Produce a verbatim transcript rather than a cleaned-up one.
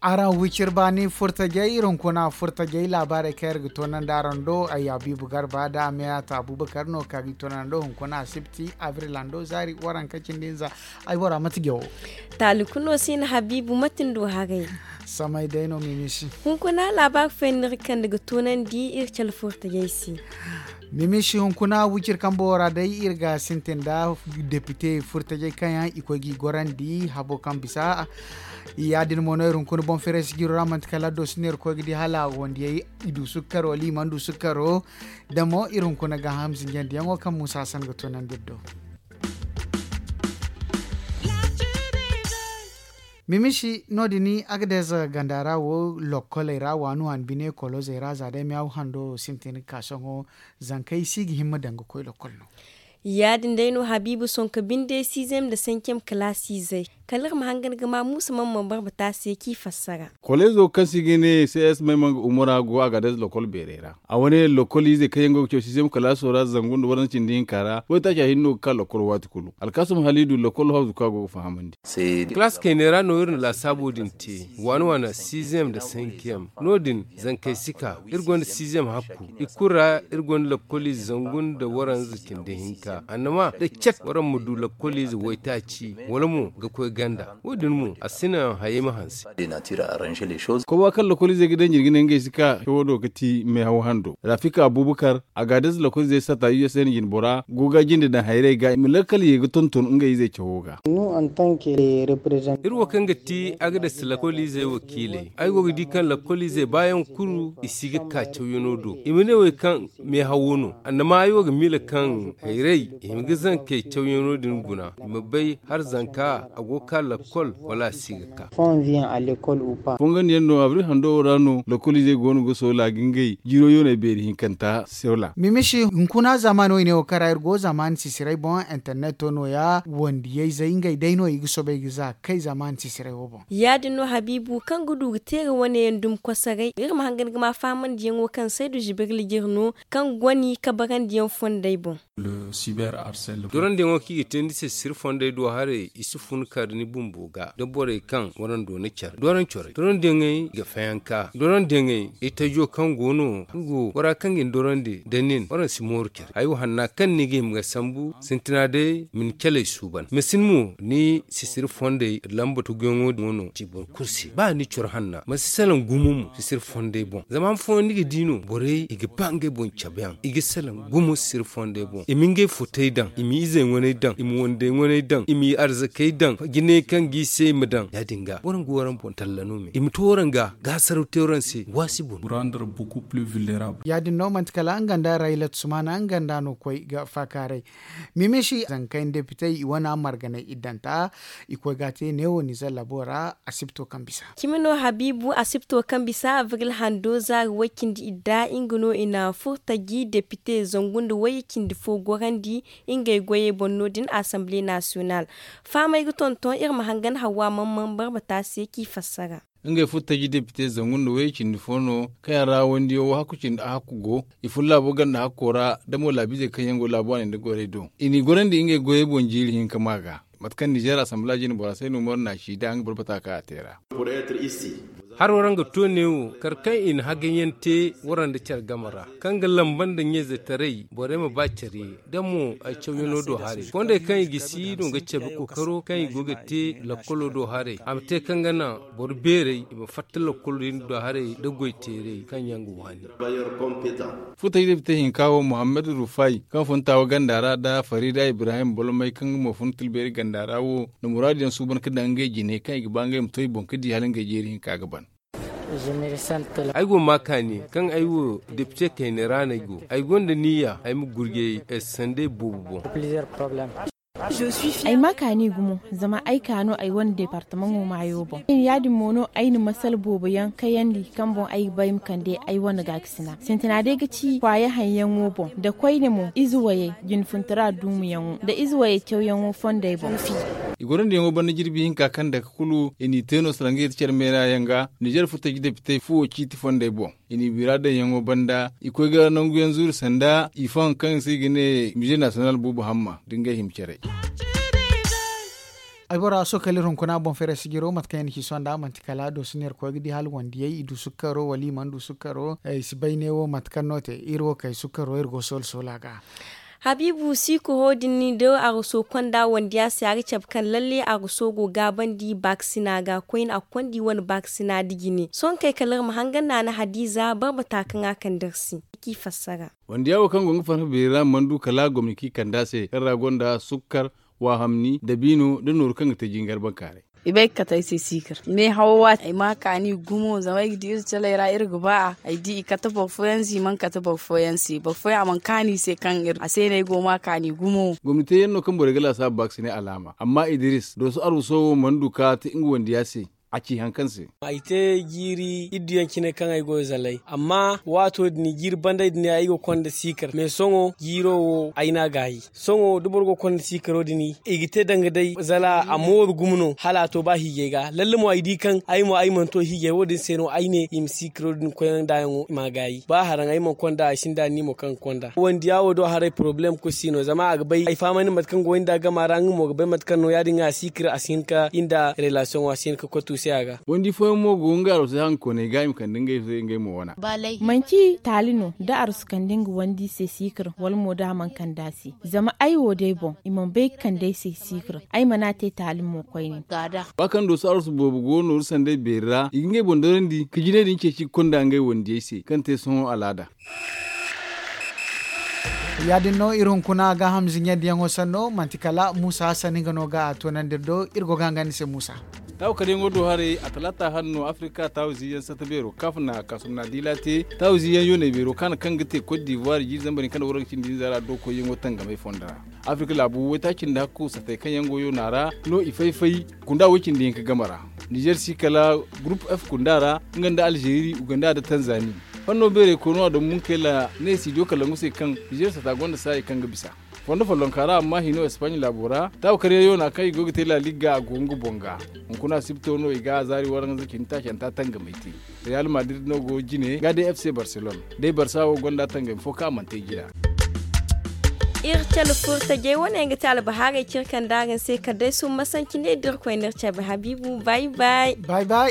Araŋ wicir baani furtajey iri hunkuna furtajey laabaarey kaŋ iri ga toonandi araŋ do ay abiibu garba da a meyaata abubakar no kaŋ ga i toonandi do hunkuna asibti abril hando zaari waraŋ ka cindi hinza. Ay bora mate jawo. Taali kulu no si hin habiibu mate ni du haray? Samay day no mimisi. Hunkuna laabaari fooyaŋ no iri ga kande ga toonandi iri cale furtajey se. Mimisi hunkuna wicir kambo ra day iri ga sintin nda depite furtajey kaŋ yaŋ i koy ga i gorandi habo kaŋ bisa. Ya- din mo no iri hunkuna boŋ feeray sijiro ra manti kala addo si no iri koy ga di hala wandiyey i du sukkaro wala i mana du sukkaro. Da mo iri hunkuna gaaham zinjandiyaŋo kaŋ muusa hasan ga toonandi iri do. Mimisi no- din agadez ganda ra wo lokkoley ra waani waani bine kolozey ra za day meyaw hando sintin ga ka sohõ. Zankey si ga himma daŋ ga koy lokkol no. Ya- din day no habiibu sonka binde sizem nda sencem kalaasiizey kala iri ma hangan ga ma muusa mana mana barbata se kaŋ i fassara. Kolezo kaŋ se i ga ne cs maymanga umura go a ga adayze lokol beerey ra. A wane lokol izey kaŋ yaŋ go ga caw sizem kalaaso ra zangu nda waranza cindi hinka ra waytaaca hinne no ga ka lokol waati kulu. Alkaasum haliidu lokol hawzu kaŋ a go ga fahamandi. Kalaas kayney ra no iri na laasaabo din te waani waana sizem nda senkiyem. No- din zankey si ka iri gonda sizem hakku i kulu ra. Iri gonda lokol ize zangu nda waranza cindi hinka annama da cat waraŋ ma du lokol ize waytaaci wala mo ga koy ganda. Wo- din mo a si naŋ hayey ma hanse. Koba kaŋ lokol izey ga daŋ jirgi ne ngey si ka cawo do ga ti meehaw hando rafika abubakar a ga adayze lokol izey sata u s n jine bora go ga jinde daŋ hayrey ga i ma lakkal ye ga tonton ngey izey cawo ga. Iri wo kaŋ ga ti agadayze lokol izey wakiiley ay go ga di kaŋ lokol izey baayaŋ kulu i si ga ka cawyaŋo do i ma ne wey kaŋ meehawo no. Annama ay wo ga miila kaŋ hayray i hima ga zankey cawyaŋo din guna i ma bay hala zanka a go ga ka lakkol wala a si ga ka. Fongandiyaŋ no abril hando wo ra no lakkol izey go no ga soola ga ngey jiiro yooney beeri hinkanta soola. Mimisi hunkuna zaamaani wo i ne wo kaŋ ra iri go zaamaani sisiray boŋ interneto nooya wandiyayzey ngey day no i ga soobay ga za kay zaamaani sisiray wo boŋ. Ya- din no habiibu kaŋ ga du ga teera wane yaŋ dumi kosoray iri ma hangan ga ma fahamandiyaŋo kaŋ saydu zibirli jire no kaŋ goni kabarandiyaŋ fondey boŋ. Dorandiyaŋo kaŋ i ga te ni sisiri fondey do haray i si fun ka da ni bumbo ga da borey kaŋ waraŋ doona care doraŋ corey dorandiyaŋey ga fayanka dorandiyaŋey itajo kaŋ go no nga wo bora kaŋ ga ni dorandi da nin waraŋ si mooru care hayo hanna kaŋ ni ga hima ga sambu sintina day ma ni caley suuban ma sin mo ni sisiri fondey lamba tuguyaŋo din wo no ci boro kulu se ba ni coro hanna ma si salaŋ gumo mo sisiri fondey boŋ zama han fooyaŋ ni ga di no borey i ga ba ngey boŋ cabeyaŋ i ga salaŋ gumo sisiri fondey boŋ i ma ngey futey daŋ i ma izey ŋwaney daŋ i ma wandey ŋwaney daŋ i ma i arzakey daŋ jinay kaŋ ga i se i ma daŋ ya- din ga waraŋ ga waraŋ boŋ talla no me i ma to waraŋ ga gaasaraw te waraŋ se waasi boŋ. Ya- din no manti kala nga nda raylat sumana nga nda no koy ga faakaaray. Mimisi zankey nda depitey i wane a marganay iddanta i koy ga a te neewo nizer labo ra. Asibto kaŋ bisa cimi no habiibu asibto kaŋ bisa abril hando zaari way-cindi idda nga no i na furtaji depite zangu nda way-cindi fo gorandi ngey goyey boŋ no- din asamble nasiyonal. Fahamey ga tonton iri ma hangan hawa man man barbata se kaŋ i fassara. Ngey furtaji depite zangu nda way-cindi fo no kaŋ yaŋ ra wandiyo wo hakku cindi a hakku go i fun laabo ganda hakko ra da mo laabiizey kaŋ yaŋ go laabu waaney nda gorey do i n'i gorandi ngey goyey boŋ jiiri hinka ma ga. Mate kaŋ nizer asamble jine bora se no moro na a ci da nga boro bata kaŋ a te ra. Haro ra nga to neewo kar kaŋ i na hagayaŋ te wara nda care game ra kaŋ ga lamba nda ɲayzetaray borey ma ba care da mo ay cawyaŋo do haray fondey kaŋ i ga si no ga cabe kookaro kaŋ i go ga te lakkolo do haray a ma te kaŋ ga naŋ boro beerey i ma fatta lakkol din do haray nda goy teerey kaŋ yaŋ ga waani. Futay depite hinka wo muhammad rufay kaŋ fun taawa ganda ra nda farida ibrahim bolmay kaŋ nga mo fun tilbeeri ganda ra wo na muraadu yaŋ suuban ga daŋ ngey jine kaŋ i ga ba ngey ma to i boŋ ga di hala ngey jeeri hinka ga ban. Ay go ma kaani kaŋ ay wo depite kayna ra no ay go ay gonda niyya ay ma gurjay sandey boobo boŋ. Ay ma kaani gumo zama ay ka no ay wane departamaŋo maayo boŋ ya- din mo no ay na masala boobo yaŋ kayandi kaŋ boŋ ay ga ba ay ma kande ay wane gaakasina sintina day ga ci kwaaya haŋyaŋo boŋ nda koyne mo ize wayey jinfuntara duumiyaŋo nda ize wayey cawyaŋo fondey boŋ. I gorandiyaŋo banda jirbi hinka kaŋ dake kulu i n'i te no sala ngey da care meera yaŋ ga nizer furtaji depitey fuwo ciiti fondey boŋ. I n'i bira daŋyaŋo banda i koy ga nanguyaŋ zuuri sanda i faŋ kaŋ se i ga ne mize nasiyonal buubu hamma da ngey hima care. Ay bora sohõ kala iri hunkuna boŋ feeray sijiro mate kaŋ yaŋ na ci sohõ nd'a manti kala dooso no iri koy ga di hala wandiyey i du sukkaro wala i mana du sukkaro i si bay ne wo mate kaŋ no te iri wo kay sukkaro iri go soola soola ga. Habiibu siikuro din ni da arwaso konda wandiya se a ga cabe kaŋ lalle arwaso go gaabandi baakasina ga koyne a ga konda i wane baakasina nda jine sohõ kay kala iri ma hangan naana hadiiza barbata kaŋ a kande iri se. K'i fassara. Wandiya wo kaŋ go nga farfa beeri ra mana du kala gomni kaŋ i kande a se kaŋ ra gonda sukkar, waahamni dabiino nda nooru kaŋ ga te jingar bankaaray. I bay ga kate ay se siikir meehawo waati ay ma kaani gumo zama ay ga di iri calay ra iri ga ba a ay di i kate boro fooyaŋ se i mana kate boro fooyaŋ se boro fooyaŋ a mana kaani i se kaŋ iri a se no ay go ma kaani gumo. Gomni teeyaŋ no kaŋ borey ga laasaabu baakasinay alaama amma idiris dooso arwaso wo mana du ka te nga wandiya se. A ci hari kaŋ se. Ay te jiiri idduyaŋ cine kaŋ ay go zalay amma waato din jiiri banday din ay go konda siikar me sohõ jiiro wo ay n'a gaayi. Sohõ da boro go konda siikaro din i ga te danga day zala a mooru gumo no hala a to ba hiijay ga lalle mo ay di kaŋ ay mo ay mana to hiijay wo- din se no ay ne i ma siikaro din koyne nd'a yaŋo i m'a gaayi ba haraŋ ay mana konda ay sinda ni mo kaŋ ga konda wandiya wo do haray porobalem kulu si no zama a ga bay ay fahamandi mate kaŋ go ay nda gama ra nga mo ga bay mate kaŋ no ya- din ga a siikir a si hin ka i nda relasiyoŋo a si hin ka koy tuusay a ga. Wandi fooyaŋ mo go nga arwasay hankoney ga i ma kande ngey se ngey mo wana. Manci taali no da arwasu kande nga wandi se siikir wala mo da a mana kande a se zama ay wo day boŋ i mana bay ga kande ay se siikir ay mana te taali mo koyne. Ba kaŋ dooso arwasu boobo go nooru sanday beeri ra i ga ngey boŋ dorandi ka jinay din ceeci ga konda ngey wandiyey se kaŋ te sohõ alaada. Ya- din no iri hunkuna gaaham ziɲandiyaŋo sanno manti kala muusa hassan nga no ga a toonandi iri do iri go ga hangan ni se muusa. Taawu karyaŋo do haray a talaata hanno afirika taawu ziiyaŋ sata beero kaaf na kaasumna diila te taawu ziiyaŋ yoonay beero kaana kaŋ ga te kot divuwar jiiri zambar hinka nda warga cindi hinza ra do koyyaŋo tangamay fondo ra. Afirika laabu waytaaci nda hakku satay kaŋ yaŋ go yoona ra no i fay-fay kunda way-cindi hinka game ra. Nizer si kala gurupu f kunda ra nga nda alzeeri uganda nda tanzani. Fanno beerey koy no a daŋ munkayla ne studio kalangu se kaŋ nizer sata gonda saayey kaŋ ga bisa fondo follonka ra amma hino espagne laabo ra taawu karyaŋ yoona kaŋ i go ga te laalig ga a go nga boŋ ga. Hunkuna sibto no i ga a zaari waranza cindi taacanta tangamay te. Real madrid no go jine ga day fc barcelone day barsa wo gonda tangami fo kaŋ a mana te jina. Iri cale furtajey wane yaŋ ga te albahaarey cire kaŋ da araŋ se kala day summa sanci ne da iri koy n'iri cabe habiibu bay bay. Bay bay.